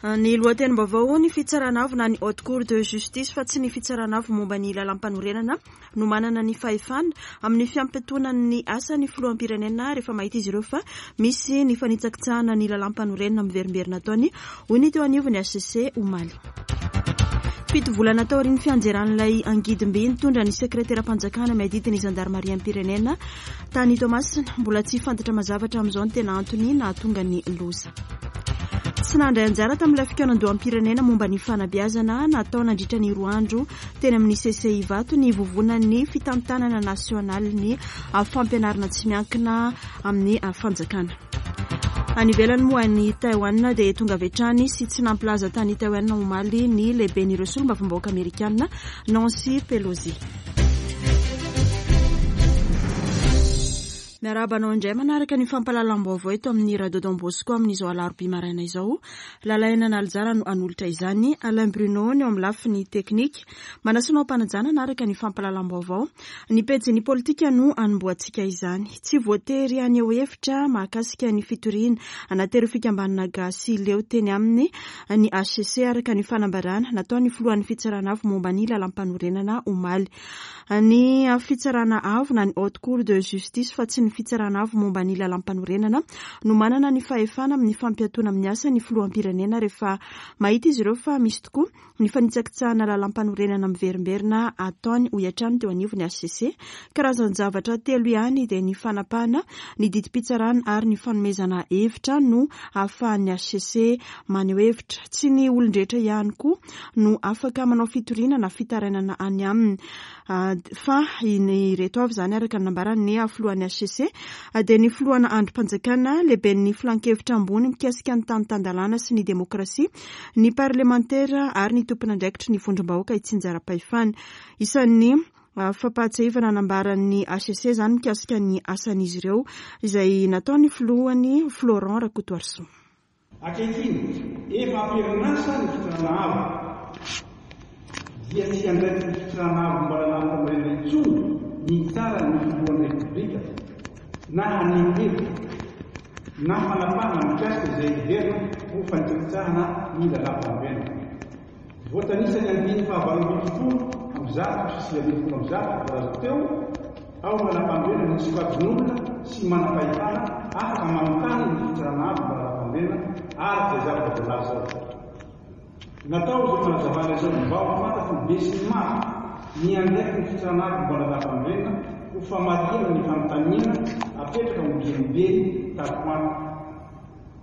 Ny lohatenim-baovao, ny fitsarana avo na ny Haute Cour de Justice fa tsy ny fitsarana avo momba ny lalàmpanorenana no manana ny fahefana amin'ny fiampiatoana ny asan'ny filoham-pirenena rehefa mahita izy ireo fa misy ny fanitsakitsahana ny lalàmpanorenana miverimberina ataony, hoy ny teo anivon'ny hcc omaly. Fito volana taorian'ny fianjeran'ilay angidim-by nitondra ny sekreteram-panjakana miadidy ny zandarimariam-pirenena tany Toamasina, mbola tsy fantatra mazava hatramin'izao ny tena antony nahatonga ny loza. Tsy nandray anjara tamin'ilay fikaonandoham-pirenena momba ny fanabeazana natao nandritra ny roa andro teny amin'ny CCI Ivato ny vovonan'ny fitantanana nasionalin'ny fampianarana tsy miankina amin'ny fanjakana. Any ivelany moa any Taiwan dia tonga avy hatrany sy tsy nampilaza tany Taiwan omaly ny lehiben'ireo solombavambahoaka amerikana Nancy Pelosi. Miarahaba anao indray manaraka ny fampahalalam-baovao eto amin'ny Radio Don Bosco amin'izao alarobia maraina izao. Lalaina Nalijara no hanolotra izany. Alain Bruno ny eo amin'ny lafiny teknika. Manasa anao am-panajana hanaraka ny fampahalalam-baovao. Ny pejin'ny politika no hanombohantsika izany. Tsy voatery haneho hevitra mahakasika ny fitoriana anatin'ireo fikambanana gasy leo teny aminy ny hcc araka ny fanambarana nataon'ny filohan'ny fitsarana avo momba ny lalàmpanorenana omaly. Ny Fitsarana Avo na ny Haute Cour de Justice fa tsy ny Fitsarana Avo momba ny Lalàmpanorenana no manana ny fahefana amin'ny fampiatoana amin'ny asa ny Filoham-pirenena rehefa mahita izy ireo fa misy tokoa ny fanitsakitsahana lalàmpanorenana miverimberina ataony, hoy hatrany teo anivon'ny hcc. Karazan-javatra telo ihany dia ny fanapahana, ny didim-pitsarana ary ny fanomezana hevitra no ahafahan'ny hcc maneho hevitra. Tsy ny olon-drehetra ihany koa no afaka manao fitoriana na fitarainana any aminy fa ireto avy izany araka ny nambaran'ny filohan'ny hcc dia ny filohana andrim-panjakana, lehiben'ny filankevitra ambony mikasika ny tany tan-dalàna sy ny demokrasia, ny parlemantera ary ny tompon'andraikitry ny vondrom-bahoaka itsinjaram-pahefana. Isan'ny fampahatsiahivana nambaran'ny hcc izany mikasika ny asan'izy ireo izay nataon'ny filohany Florent Rakotoarisoa. Ankehitriny, efa am-perinasa ny fitsarana avo, dia tsy andraikitry ny fitsarana avo momba lalàm-panorenana intsony ny hitsara ny filohan'ny Repoblika na haneho hevitra na fanapahana mikasika izay heverina ho fanitsakitsahana ny lalàm-panorenana. Voatanisa ny andininy faha-118 119 voalaza teo ao amin'ny lalàmpanorenana ny sokajin'olona sy manam-pahefana afaka manontany ny fitsarana avo momba lalàmpanorenana araka izay zavatra voalaza ao. Natao izao fanazavana izao mba ho fantatry ny besinimaro ny andraikitry ny fitsarana avo momba lalàmpanorenana ho famarihana ny fanontaniana apetraka ombienimbeny tato ho ato.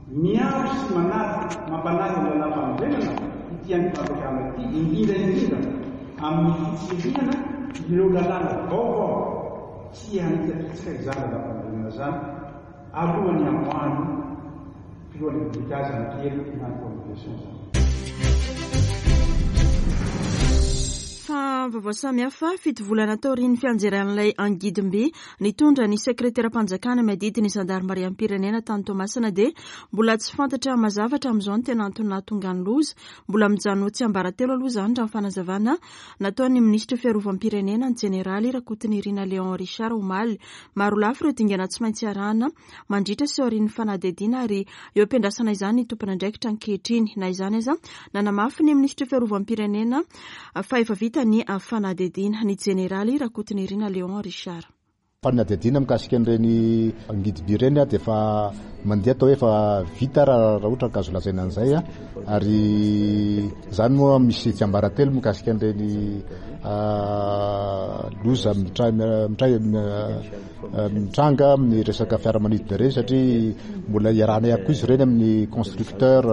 Miaro sy manaja, mampanaja ny lalàmpanorenana ity andrim-panjakana ity, indrindra indrindra amin'ny fitsirihana ireo lalàna vaovao tsy hanitsakitsaka izany lalàmpanorenana izany alohan'ny hamoahan'ny filohan'ny Repoblika azy amin-kery na ny promulgation izany. Fa vaovao samihafa, fito volana taorian'ny fianjeran'ilay angidim-by nitondra ny sekreteram-panjakana miadidy ny zandarimariam-pirenena tany Toamasina dia mbola tsy fantatra mazava hatramin'izao ny tena antony nahatonga ny loza. Mbola mijanona ho tsiambaratelo aloha izany raha ny fanazavana nataon'ny minisitry ny fiarovam-pirenena, ny jeneraly Rakotonirina Léon Richard omaly. Marolafy ireo dingana tsy maintsy arahana mandritra sy aorian'ny fanadihadiana ary eo am-piandrasana izany ny tompon'andraikitra ankehitriny. Na izany aza, nanamafy ny minisitry ny fiarovam-pirenena fa efa vita ny fanadihadiana, ny jeneraly Rakotonirina Léon Richard. Fanadihadiana mikasika an'ireny angidim-by ireny dia efa mandeha atao hoe efa vita raha ohatra ka azo lazaina an'izay ary izany moa misy tsiambaratelo mikasika an'ireny loza mitranga amin'ny resaka fiaramanidina ireny satria mbola iarahana ihany koa izy ireny amin'ny constructeur,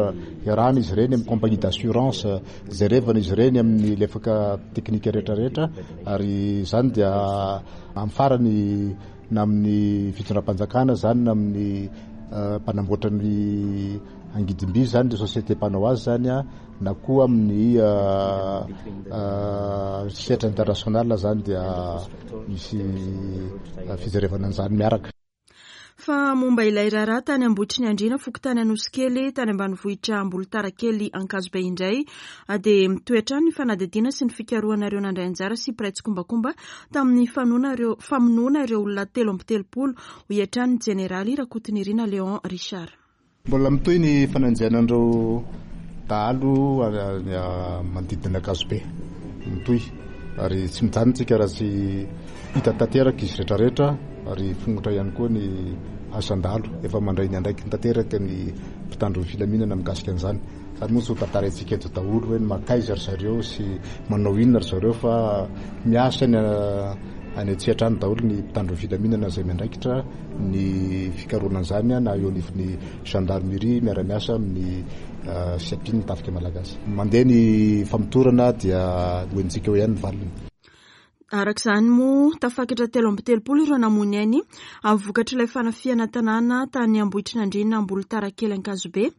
iarahana izy ireny amin'ny compagnie d'assurance, jerevana izy ireny amin'ny lefaka teknika rehetra rehetra ary izany dia amin'ny farany na amin'ny fitondram-panjakana izany na amin'ny mpanamboatra ny angidim-by izany, ny société mpanao azy izany na koa amin'ny sehatra international izany dia misy fijerevana an'izany miaraka. Fa momba ilay raharaha tany Ambohitriniandriana, fokontany Anosikely, tany ambanivohitra Ambolontarakely Ankazobe indray dia mitohy hatrany ny fanadihadiana sy ny fikarohana ireo nandray anjara sy mpiray tsikombakomba tamin'ny famonoana ireo olona 33, hoy hatrany ny jeneraly Rakotonirina Léon Richard. Mbola mitohy ny fanenjehana an'ireo dahalo manodidina Ankazobe. Mitohy ary tsy mijanona tsika raha tsy hita tanteraka izy rehetrarehetra ary fongotra ihany koa ny asan-dahalo. Efa mandray ny andraikiny tanteraka ny mpitandro ny filaminana mikasika an'izany. Izany moa tsy ho tantaraintsika eto daholo hoe mankaiza ry zareo sy manao inona ry zareo fa miasa any any an-tsehatra any daholo ny mpitandro ny filaminana izay miandraikitra ny fikarohana an'izany na eo anivon'ny gendarmerie miara-miasa amin'ny SIAPI ny tafika malagasy. Mandeha ny famotorana dia ho henontsika eo ihany ny valiny. Araka izany moa, tafakatra 33 ireo namoy ny ainy amin'ny vokatr'ilay fanafihana tanàna tany Ambohitrinandriana Ambolotarakely Ankazobe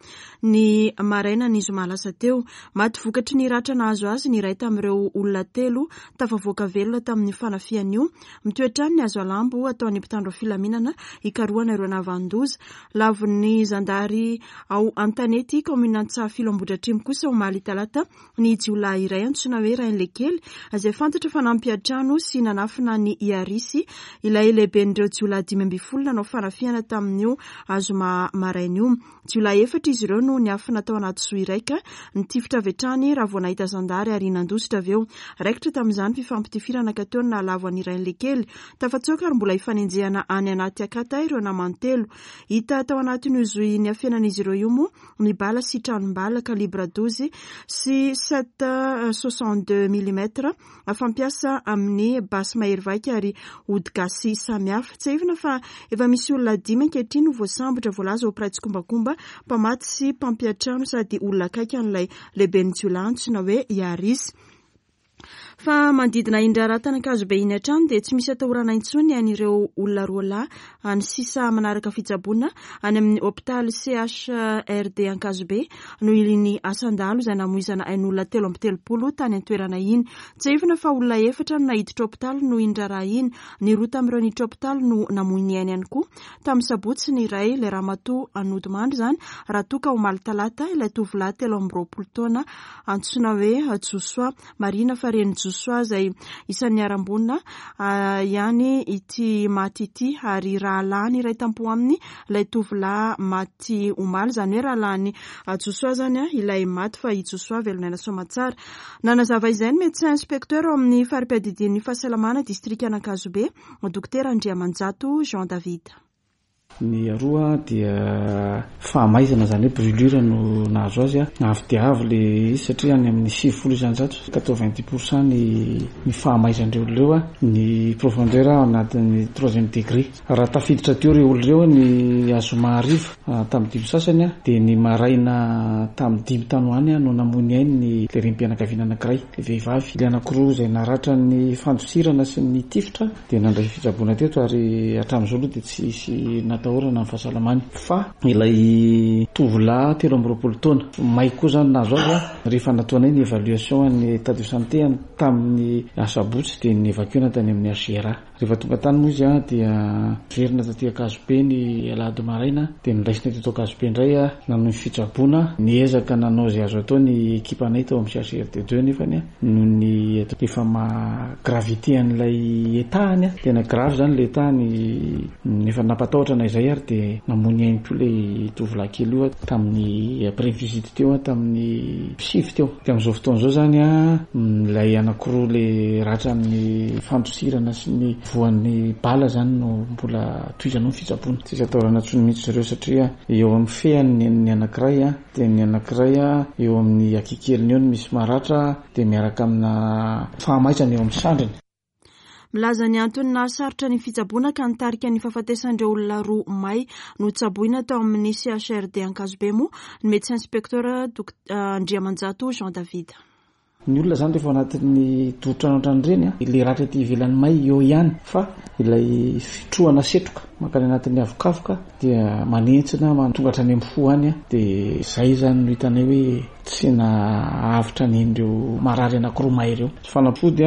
ny maraina ny zoma lasa teo. Maty vokatry ny ratra nahazo azy ny iray tamin'ireo olona telo tafavoaka velona tamin'io fanafihana io. Mitohy hatrany ny hazo alambo ataon'ny mpitandro filaminana hikarohana ireo nahavanon-doza. Lavon'ny zandary ao Antanety, kaominina Antsahafilo Ambohidratrimo kosa omaly talata ny jiolahy iray antsoina hoe Rainilekely izay fantatra fa nampiantrano sy nanafina an'i Iarisy, ilay lehiben'ireo jiolahy 15 nanao fanafihana tamin'io zoma maraina io. Jiolahy efatra izy ireo no niafina tao anaty zohy iray ka nitifitra avy hatrany raha vao nahita zandary ary nandositra avy eo. Raikitra tamin'izany fifampitifirana ka teo no nahalavo an'i Rainilekely. Tafatsoaka ary mbola ifanenjehana any anaty akata ireo namany telo. Hita tao anatin'io zohy niafenan'izy ireo io moa ny bala sy tranom-bala calibre 12 sy 7,62 millimètres fampiasa amin'ny basy mahery vaika ary ody gasy samihafa. Tsiahivina fa efa misy olona dimy ankehitriny no voasambotra voalaza ho mpiray tsikombakomba, mpamatsy sy mpampiantrano sady olona akaiky an'ilay lehiben'ny jiolahy antsoina hoe Iaris. Fa manodidina iny raharaha tany Ankazobe iny hatrany dia tsy misy atahorana intsony an'ireo olona roa lahy any sisa manaraka fitsaboana any amin'ny hopitaly CHRD Ankazobe noho iny asan-dahalo izay namoizana ain'olona 33 tany an-toerana iny. Tsiahivina fa olona efatra no naiditra hopitaly noho iny raharaha iny. Ny roa tamin'ireo niditra hopitaly no namoy ny ainy ihany koa. Tamin'ny sabotsy ny iray, ilay ramatoa nodimandry izany, raha toa ka omaly talata ilay tovolahy 23 taona antsoina hoe Josoa. Marihina fa renin'i Josoa izay isan'ny niharam-boina ihany ity maty ity ary rahalahiny iray tampo aminy ilay tovolahy maty omaly. Izany hoe rahalahin'i Josoa izany ilay maty fa i Josoa velon'aina soamantsara. Nanazava izay ny médecin inspecteur ao amin'ny fari-piadidian'ny fahasalamana distrikan'Ankazobe, Dokotera Andriamanjato Jean David. Ny aroa dia fahamaizana izany hoe brûlure no nahazo azy. Avo dia avo ilay izy satria any amin'ny 90%, 90%, ny ny fahamaizan'ireo olona ireo, ny profondeur ao anatin'ny troisième degré. Raha tafiditra teo ireo olona ireo ny zoma hariva tamin'ny dimy sasany dia ny maraina tamin'ny dimy tany ho any no namoy ny ainy ny ilay renim-pianakaviana anankiray, ilay vehivavy. Ilay anankiroa izay naratran'ny fandosirana sy ny tifitra dia nandray fitsaboana teto ary hatramin'izao aloha dia tsisy natahorana ny fahasalamany fa ilay tovolahy 23 taona may koa izany nahazo azy rehefa nataonay ny évaluation ny état de santé tamin'ny asabotsy dia ni-évacuer-na tany amin'ny HJRA. Rehefa tonga tany moa izy dia niverina taty Ankazobe ny alahady maraina dia noraisina teto Ankazobe indray nanohy ny fitsaboana. Niezaka nanao izay azo atao ny ekipanay tao amin'ny CHRD 2 nefany noho ny efa maha gravité an'ilay état-ny, tena grave izany ilay état-ny, efa nampatahotra na izay ary dia namoy ny ainy koa ilay tovolahy kely io tamin'ny après visite teo tamin'ny sivy teo. Dia amin'izao fotoana izao izany ilay anankiroa ilay ratran'ny fandosirana sy ny voan'ny bala izany no mbola tohizana ao ny fitsaboana. Tsisy atahorana intsony mihitsy zareo satria eo amin'ny fehany ny anankiray dia ny anankiray eo amin'ny akikeliny eo no misy maratra dia miaraka amina fahamaizana eo amin'ny sandriny. Milaza ny antony nahasarotra ny fitsaboana ka nitarika ny fahafatesan'ireo olona roa may notsaboina tao amin'ny CHRD Ankazobe moa ny médecin inspecteur Andriamanjato Jean David. Ny olona izany rehefa ao anatin'ny doro-trano ohatran'ireny, ilay ratra ety ivelany may eo ihany fa ilay fitrohana setroka mankany anatin'ny avokavoka dia manentsina tonga hatrany amin'ny fo any dia izay izany no hitanay hoe tsy nahavitra an'ireo marary anankiroa may ireo. Fanafody,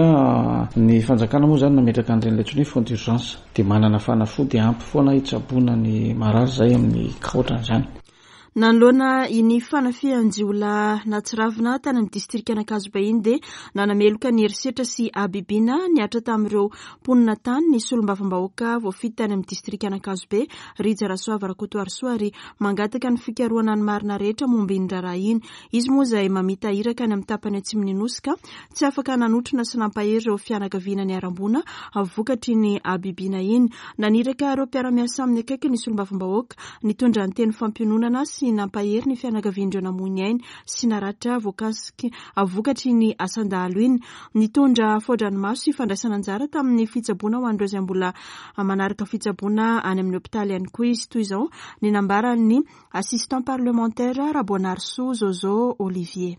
ny fanjakana moa izany nametraka an'ireny ilay antsoina hoe fonds d'urgence dia manana fanafody ampy foana hitsaboana ny marary izay amin'ny cas ohatran'izany. Nanoloana iny fanafihan-jiolahy nahatsiravina tany amin'ny distrikan'Ankazobe iny dia nanameloka ny herisetra sy habibiana nihatra tamin'ireo mponina tany ny solombavambahoaka voafidy tany amin'ny distrikan'Ankazobe, Rija Rasoava Rakotoarisoa ary mangataka ny fikarohana ny marina rehetra momba iny raharaha iny. Izy moa izay mamita iraka any amin'ny tapany atsimon'ny Nosy ka tsy afaka nanotrona sy nampahery ireo fianakaviana niharam-boina vokatr'iny habibiana iny. Naniraka ireo mpiara-miasa aminy akaiky ny solombavambahoaka nitondra ny teny fampiononana sy nampahery ny fianakavian'ireo namoy ny ainy sy naratra voakasiky vokatr'iny asan-dahalo iny. Nitondra fao-dranomaso sy fandraisana anjara tamin'ny fitsaboana ho an'ireo izay mbola manaraka fitsaboana any amin'ny hopitaly ihany koa izy. Toy izao ny nambaran'ny Assistant parlementaire Raboanarisoa Zozo Olivier.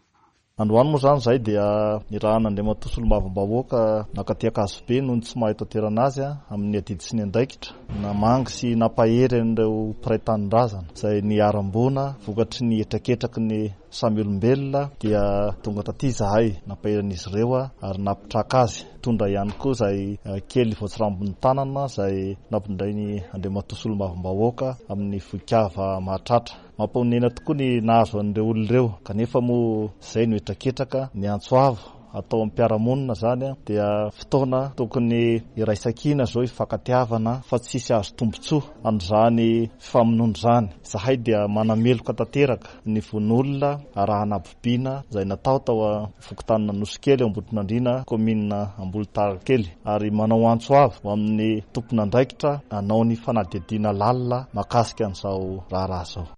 Androany moa izany izahay dia nirahan'Andriamatoa Solombavambahoaka nankaty Ankazobe noho ny tsy maha eto an-toerana azy amin'ny adidy sy ny andraikitra namangy sy nampahery an'ireo mpiray tanindrazana izay niharam-boina vokatry ny hetraketraky ny samy olombelona dia tonga taty izahay nampahery an'izy ireo ary nampitraka azy nitondra ihany koa izay kely voatsirambin'ny tanana izay nampitondrainy Andriamatoa Solombavambahoaka amin'ny vohikava mahatratra. Mampahonena tokoa ny nahazo an'ireo olona ireo, kanefa moa izay no hetraketraka, ny antso avo atao amin'ny mpiara-monina izany dia fotoana tokony hiraisan-kina izao hifankatiavana fa tsisy azo tombontsoa amin'izany fifamonoana izany. Izahay dia manameloka tanteraka ny vono olona arahana habibiana izay natao tao fokontanin'Anosikely ao Ambohitrimanandriana, kaominina Ambolontarakely, ary manao antso avo ho amin'ny tompon'andraikitra hanao ny fanadihadiana lalina mahakasika an'izao raharaha izao.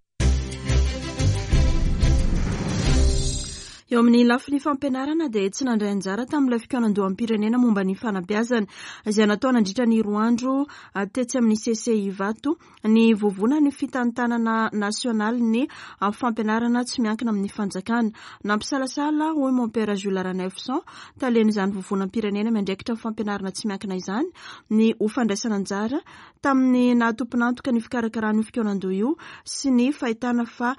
Eo amin'ny lafiny fampianarana dia tsy nandray anjara tamin'ilay fikaonandoham-pirenena momba ny fanabeazana izay natao nandritra ny roa andro tetsy amin'ny CCI Ivato ny Vovonan'ny Fitantanana Nasionalin'ny Fampianarana Tsy Miankina Amin'ny Fanjakana. Nampisalasala, hoy Mompera Jules Ranaivoson, talen'izany vovonam-pirenena miandraikitra ny fampianarana tsy miankina izany, ny ho fandraisana anjara tamin'ny naha tompon'antoka ny fikarakarana io fikaonandoha io sy ny fahitana fa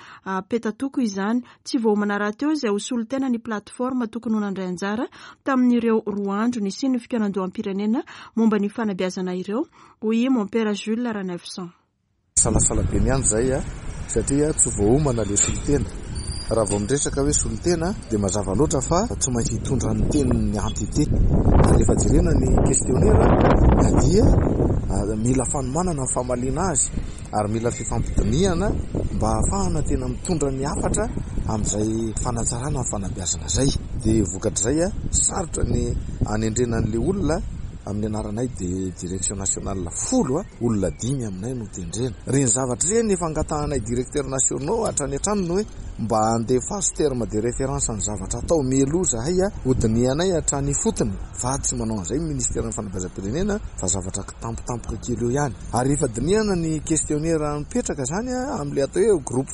petatoko izany. Tsy voaomana rahateo izay ho solontena ny plateforme tokony ho nandray anjara tamin'ireo roa andro nisian'ny fikaonandoham-pirenena momba ny fanabeazana ireo, hoy i Mompera Jules Ranaivoson. Salasala be ny andro izay satria tsy voaomana ilay solontena. Raha vao miresaka hoe solontena dia mazava loatra fa tsy maintsy hitondra ny tenin'ny entité. Ary rehefa jerena ny questionnaire dia mila fanomanana ny famaliana azy ary mila fifampidinihana mba hahafahana tena mitondra ny hafatra amin'izay fanatsarana ny fanabeazana izay. Dia vokatr'izay sarotra ny hanendrena an'ilay olona. Amin'ny anaranay dia direction nationale folo, olona dimy aminay no tendrena. Ireny zavatra ireny efa angatahanay directeurs nationaux hatrany hatrany ny hoe mba andefaso terme de référence ny zavatra atao mialoha izahay hodinihanay hatrany ifotony fa tsy manao an'izay ny ministeran'ny fanabeazam-pirenena fa zavatra kitampotampoka kely eo ihany. Ary rehefa dinihana ny questionnaire mipetraka izany amin'ilay atao hoe groupe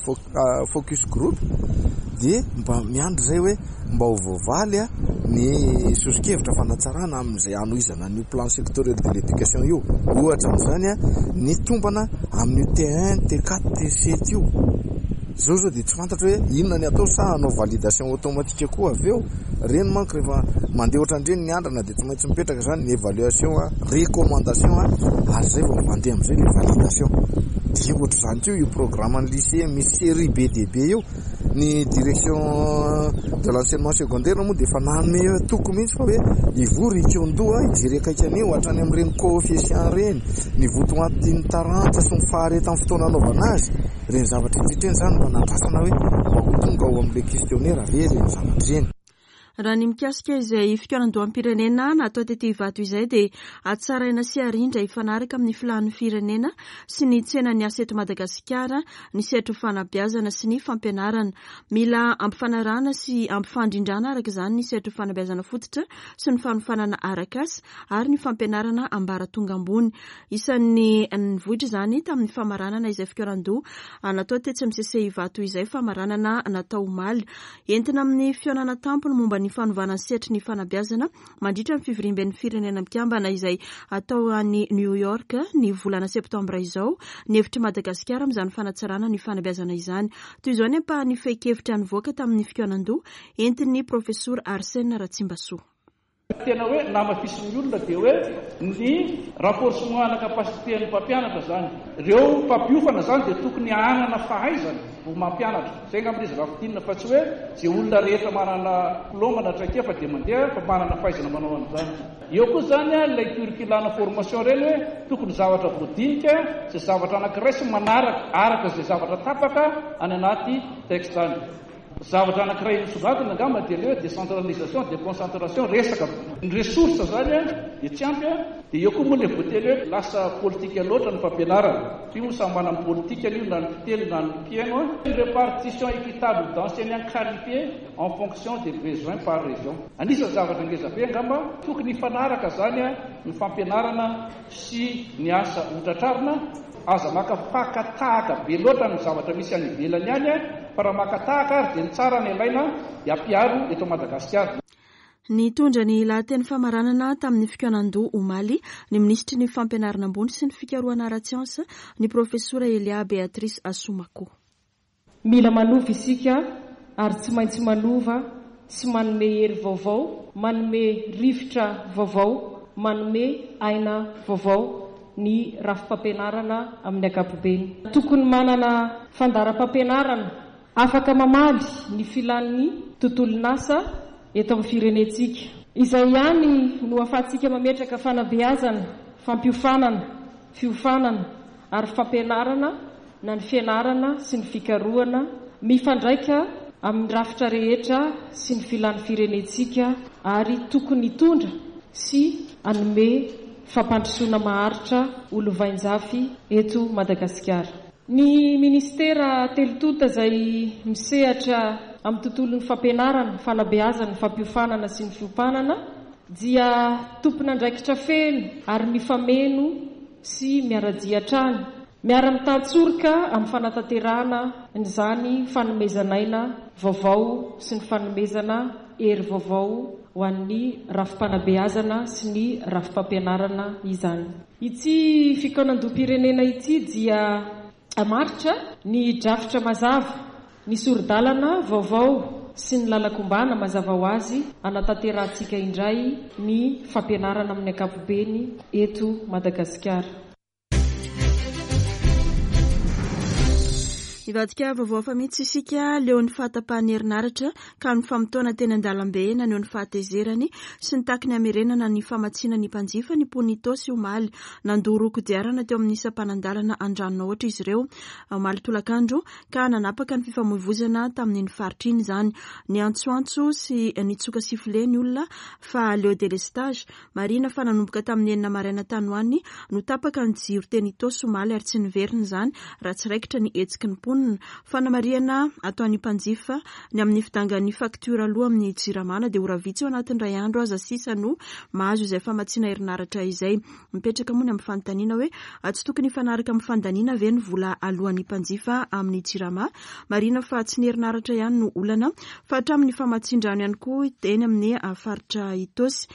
focus group dia mba miandry izay hoe mba ho voavaly ny soso-kevitra fanatsarana amin'izay hanohizana an'io plan sectoriel de l'éducation io. Ohatra amin'izany ny tombana amin'io T1, T4, T7 io. Izao izao dia tsy fantatro hoe inona ny atao sa hanao validation automatique koa avy eo. Ireny manko rehefa mandeha ohatran'ireny ny andrana dia tsy maintsy mipetraka izany ny évaluation, recommandation ary izay vao mandeha amin'izay ilay validation. Dia ohatr'izany koa io programme-n'ny lycée misy série be dia be io. Ny direction de l'enseignement secondaire moa dia efa nanome toky mihitsy fa hoe hivory hikaon-doha hijery akaiky an'io hatrany amin'ireny coefficient ireny, ny votoatin'ny taranja sy ny faharetan'ny fotoana anaovana azy. Ireny zavatra rehetra ireny izany mba nandrasana hoe mba ho tonga ao amin'ilay questionnaire ve ireny zavatra ireny. Raha ny mikasika izay fikaonandoham-pirenena natao tety Ivato izay dia hatsaraina sy harindra hifanaraka amin'ny filàn'ny firenena sy ny tsenan'ny asa eto Madagasikara ny sehatry ny fanabeazana sy ny fampianarana. Mila ampifanarahana sy ampifandrindrana araka izany ny sehatry ny fanabeazana fototra sy ny fanofanana arak'asa ary ny fampianarana ambaratonga ambony. Isan'ny nivoitra izany tamin'ny famaranana izay fikaonandoha natao tetsy amin'ny CC Ivato izay famaranana natao omaly. Entina amin'ny fihaonana tampony momba ny fanovana ny sehatry ny fanabeazana mandritra ny fivoriamben'ny Firenena Mikambana izay hatao any New York ny volana septambra izao ny hevitr'i Madagasikara amin'izany fanatsarana ny fanabeazana izany. Toy izao ny ampahan'ny fehin-kevitra nivoaka tamin'ny fikaonandoha entin'ny Profesora Arsène Ratsimbasoa. Tena hoe namafisin'ny olona dia hoe ny renforcement ana capacité an'ny mpampianatra izany. Ireo mpampiofana izany dia tokony hanana fahaizana vao mampianatra. Izay angamba ilay izy raha fintinina fa tsy hoe izay olona rehetra manana diplôme na traikefa dia mandeha fa manana fahaizana manao an'izany. Eo koa izany ilay curricula ana formation ireny hoe tokony zavatra voadinika izay zavatra anankiray sy manaraka araka izay zavatra tapaka any anaty texte any. Zavatra anankiray misongadina angamba dia ilay hoe décentralisation, déconcentration, resaka ny ressources izany dia tsy ampy dia eo koa moa ilay voateny hoe lasa politika loatra ny fampianarana. Io moa samy manana ny politikany io na ny mpiteny na ny mpihaino. Une répartition équitable d'enseignants qualifiés en fonction des besoins par région. Anisan'ny zavatra ngeza be angamba tokony hifanaraka izany ny fampianarana sy ny asa hotratrarina, aza maka faka tahaka be loatra ny zavatra misy any ivelany any fa raha maka tahaka ary dia ny tsara no alaina dia ampiharo eto Madagasikara. Nitondra ny lahateny famaranana tamin'ny fikaonandoha omaly ny minisitry ny Fampianarana ambony sy ny fikarohana ara-tsiansa, ny profesora Elia Béatrice Assoumacou. Mila manova isika ary tsy maintsy manova sy manome hery vaovao, manome rivotra vaovao, manome aina vaovao ny rafi-pampianarana amin'ny ankapobeny. Tokony manana fandaharam-pampianarana afaka mamaly ny filan'ny tontolon'asa eto amin'ny firenentsika. Izay ihany no ahafahantsika mametraka fanabeazana, fampiofanana, fiofanana ary fampianarana na ny fianarana sy ny fikarohana mifandraika amin'ny rafitra rehetra sy ny filan'ny firenentsika ary tokony hitondra sy hanome fampandrosoana maharitra ho lovainjafy eto Madagasikara. Ny minisitera telo tonta izay misehatra amin'ny tontolon'ny fampianarana, fanabeazana, fampiofanana sy ny fiompanana dia tompon'andraikitra feno ary mifameno sy miara-dia hatrany, miara-mitantsoroka amin'ny fanatanterahana an'izany fanomezan'aina vaovao sy ny fanomezana hery vaovao ho an'ny rafi-panabeazana sy ny rafi-pampianarana izany. Ity fikaonandoham-pirenena ity dia hamaritra ny drafitra mazava Ny sori-dalana vaovao sy ny lalan-kombana mazava ho azy hanatanterahantsika indray ny fampianarana amin'ny ankapobeny eto Madagasikara. Hivadika vaovao hafa mihitsy isika, leon'ny fahatapahan'ny herinaratra ka nifamotoana teny an-dalambe naneho ny fahatezerany sy nitaky ny hamerenana ny famatsiana ny mpanjifa ny mponin'Itaosy omaly. Nandoro kodiarana teo amin'ny sampanan-dalana Andranonahoatra izy ireo omaly tolakandro ka nanapaka ny fifamoivoizana tamin'iny faritra iny izany. Niantsoantso sy nitsoka sifflet ny olona fa leo délestage. Marihina fa nanomboka tamin'ny enina maraina tany ho any no tapaka ny jiro teny Itaosy omaly ary tsy niverina izany raha tsy raikitra ny hetsiky ny mponina. Fanamarihana ataon'ny mpanjifa ny amin'ny fidangan'ny faktiora aloa amin'ny Jirama na dia ora vitsy ao anatin'ny iray andro aza sisa no mahazo izay famatsiana herinaratra izay. Mipetraka moa ny amin'ny fanontaniana hoe tsy tokony hifanaraka amin'ny fandaniana ve ny vola aloan'ny mpanjifa amin'ny Jirama? Marihina fa tsy ny herinaratra ihany no olana fa hatramin'ny famatsian-drano ihany koa eny amin'ny faritra Itaosy.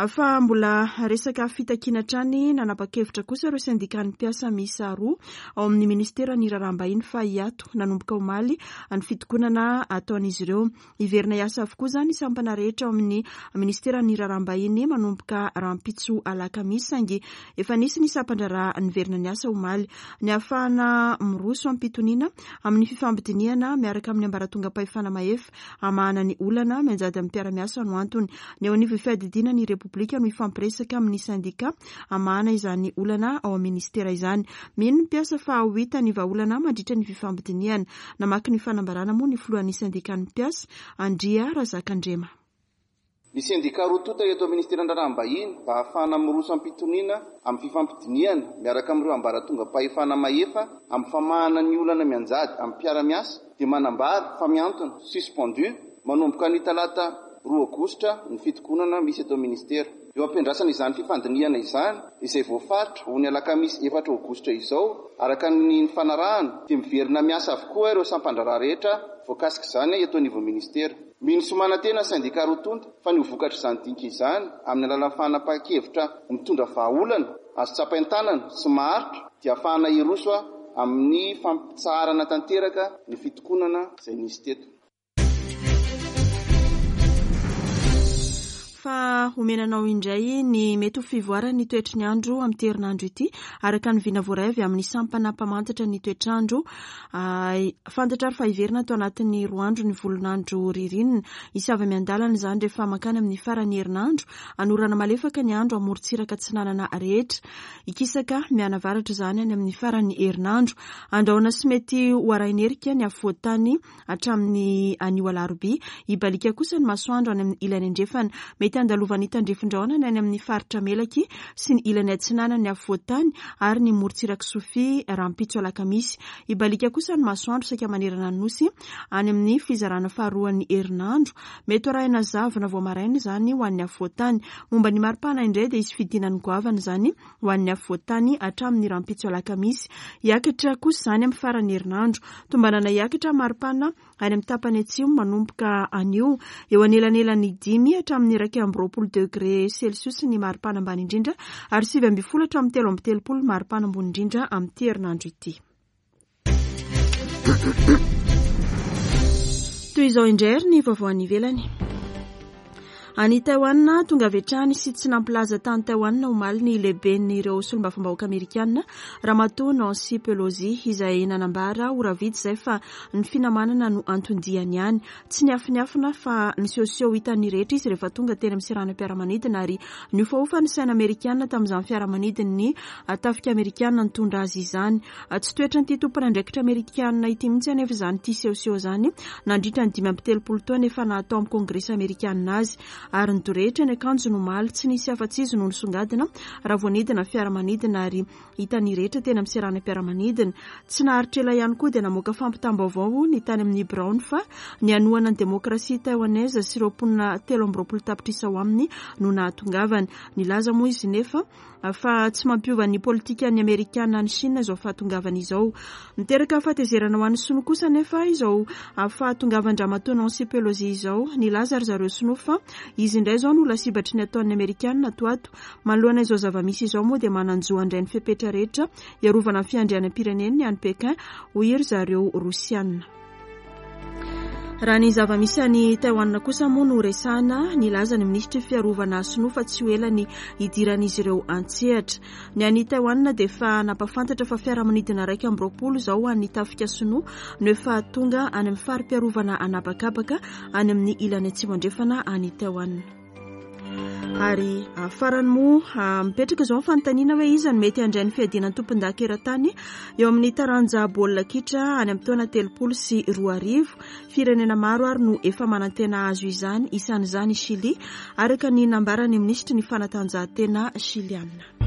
Fa mbola resaka fitakiana hatrany, nanapa-kevitra kosa ireo sendikan'ny mpiasa miisa roa ao amin'ny ministeran'ny raharaham-bahiny fa hiato nanomboka omaly ny fitokonana ataon'izy ireo. Hiverina hiasa avokoa izany ny sampana rehetra ao amin'ny minisiteran'ny Raharaham-bahiny manomboka rahampitso alakamisy saingy efa nisy ny sampan-draharaha niverina niasa omaly. Ny hahafahana miroso am-pitoniana amin'ny fifampidinihana miaraka amin'ny ambaratongam-pahefana mahefa hamahana ny olana mianjady amin'ny mpiara-miasa no antony. Ny eo anivon'ny fiadidiana ny Repoblika no hifampiresaka amin'ny sendika hamahana izany olana ao amin'ny minisitera izany. Mino ny mpiasa fa ho hita ny vahaolana mandritra ny fifampidinihana. Namaky ny fanambarana moa ny filohan'ny sendikan'ny mpiasa, Andria Razakandrema. Ny sendika roa tonta eto amin'ny Ministeran'ny Raharaham-bahiny mba hahafahana miroso am-pitoniana amin'ny fifampidinihana miaraka amin'ireo ambaratongam-pahefana mahefa amin'ny famahana ny olana mianjady amin'ny mpiara-miasa dia manambara fa mihantona, suspendu, manomboka anio talata roa aogositra ny fitokonana misy eto amin'ny Ministera. Eo am-piandrasana izany fifandinihana izany, izay voafaritra ho ny alakamisy efatra aogositra izao, araka ny nifanarahana, dia miverina miasa avokoa ireo sampan-draharaha rehetra voakasik'izany eto anivon'ny Ministera. Mino sy manantena ny sendika roa tonta fa ny ho vokatr'izany dinika izany, amin'ny alalan'ny fanapahan-kevitra mitondra vahaolana azo tsapain-tanana sy maharitra, dia hahafahana hiroso amin'ny fampitsaharana tanteraka ny fitokonana izay nisy teto. Fa homena anao indray ny mety ho fivoaran'ny toetry ny andro amin'ity herinandro ity, araka ny vina voaray avy amin'ny sampana mpamantatra ny toetr'andro. Fantatra ary fa hiverina ato anatin'ny roa andro ny volon'andro ririnina. Hisy avy miandalana izany rehefa mankany amin'ny faran'ny herinandro. Hanorana malefaka ny andro amorontsiraka atsinanana rehetra. Hikisaka mianavaratra izany any amin'ny faran'ny herinandro. Andrahona sy mety ho arahin'erika ny afovoan-tany hatramin'ny anio alarobia. Hibaliaka kosa ny masoandro any amin'ny ilany andrefana. Mety handalovan'ny tandrifin-drahona ny any amin'ny faritra Melaky sy ny ilany atsinanan'ny afovoan-tany ary ny morontsirak'i Sofia rahampitso alakamisy. Hibaliaka kosa ny masoandro saika manerana ny Nosy any amin'ny fizarana faharoan'ny herinandro. Mety ho arahina zavona vao maraina izany ho an'ny afovoan-tany. Momba ny maripana indray dia hisy fidinany goavana izany ho an'ny afovoan-tany hatramin'ny rahampitso alakamisy. Hiakatra kosa izany amin'ny faran'ny herinandro. Tombanana hiakatra maripana any amin'ny tapany atsimo manomboka anio. Eo anelanelan'ny dimy hatramin'ny 21 degre celsius ny maripana ambany indrindra ary 19 hatramin'ny 33 ny maripana ambony indrindra amin'ity herinandro ity. Toy izao indray ary ny vaovao any ivelany. Any Taiwan, tonga avy hatrany sy tsy nampilaza tany Taiwan omaly ny lehiben'ireo solombavambahoaka amerikana, Ramatoa Nancy Pelosi, izay nanambara ora vitsy izay fa ny finamanana no anton-diany any. Tsy niafinafina fa nisehoseho hitan'ny rehetra izy rehefa tonga teny amin'ny seranam-piaramanidina ary nihofahofa ny saina amerikana tamin'izany fiaramanidin'ny tafika amerikana nitondra azy izany. Tsy toetran'ity tompon'andraikitra amerikana ity mihitsy anefa izany ity sehoseho izany nandritra ny 35 taona efa naha tao amin'ny kongresy amerikana azy ary nidorehitra ny akanjony omaly. Tsy nisy afa-tsy izy no nisongadina raha vao nidina ny fiaramanidina ary hitan'ny rehetra teny amin'ny seranam-piaramanidina. Tsy naharitra ela ihany koa dia namoaka fampitam-baovao ny tany amin'ny biraony fa ny hanohana ny demokrasia Taiwanese sy ireo mponina 23 tapitrisa ao aminy no nahatongavany. Nilaza moa izy nefa fa tsy mampiova ny politikan'ny Amerikana any Chine izao fahatongavany izao. Miteraka fahatezerana ho an'ny Sinoa kosa anefa izao fahatongavan-dRamatoa Nancy Pelosi izao. Nilaza ry zareo Sinoa fa izy indray izao no lasibatry ny ataon'ny Amerikana ato ato. Manoloana izao zava-misy izao moa dia manan-jo handray ny fepetra rehetra hiarovana ny fiandrianam-pireneny ny any Pékin, hoy ry zareo Rosiana. Raha ny zava-misy any Taiwan kosa moa no resahana, nilaza ny minisitry ny fiarovana sinoa fa tsy ho ela ny hidiran'izy ireo an-tsehatra. Ny any Taiwan dia efa nampahafantatra fa fiaramanidina 21 izao ho an'ny tafika sinoa no efa tonga any amin'ny fari-piarovana an'habakabaka any amin'ny ilany atsimo andrefana any Taiwan. Ary farany moa mipetraka izao ny fanontaniana hoe iza no mety handray ny fiadiana ny tompondaka eran-tany eo amin'ny taranja baolina kitra any amin'ny taona 2030. Firenena maro ary no efa manantena hahazo izany, isan'izany i Chili, araka ny nambaran'ny minisitry ny fanatanjahantena shiliana.